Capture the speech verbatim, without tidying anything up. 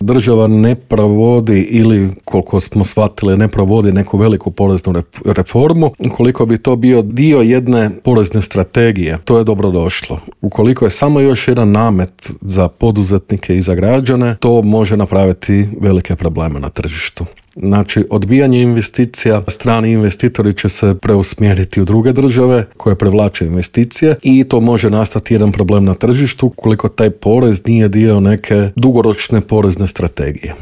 država ne provodi ili, koliko smo shvatili, ne provodi neku veliku poreznu reformu, ukoliko bi to bio dio jedne porezne strategije, to je dobro došlo. Ukoliko je samo još jedan namet za poduzetnike i za građane, to može napraviti velike probleme na tržištu. Znači, odbijanje investicija, strani investitori će se preusmjeriti u druge države koje privlače investicije i to može nastati jedan problem na tržištu ukoliko taj porez nije dio neke dugoročne porezne strategije.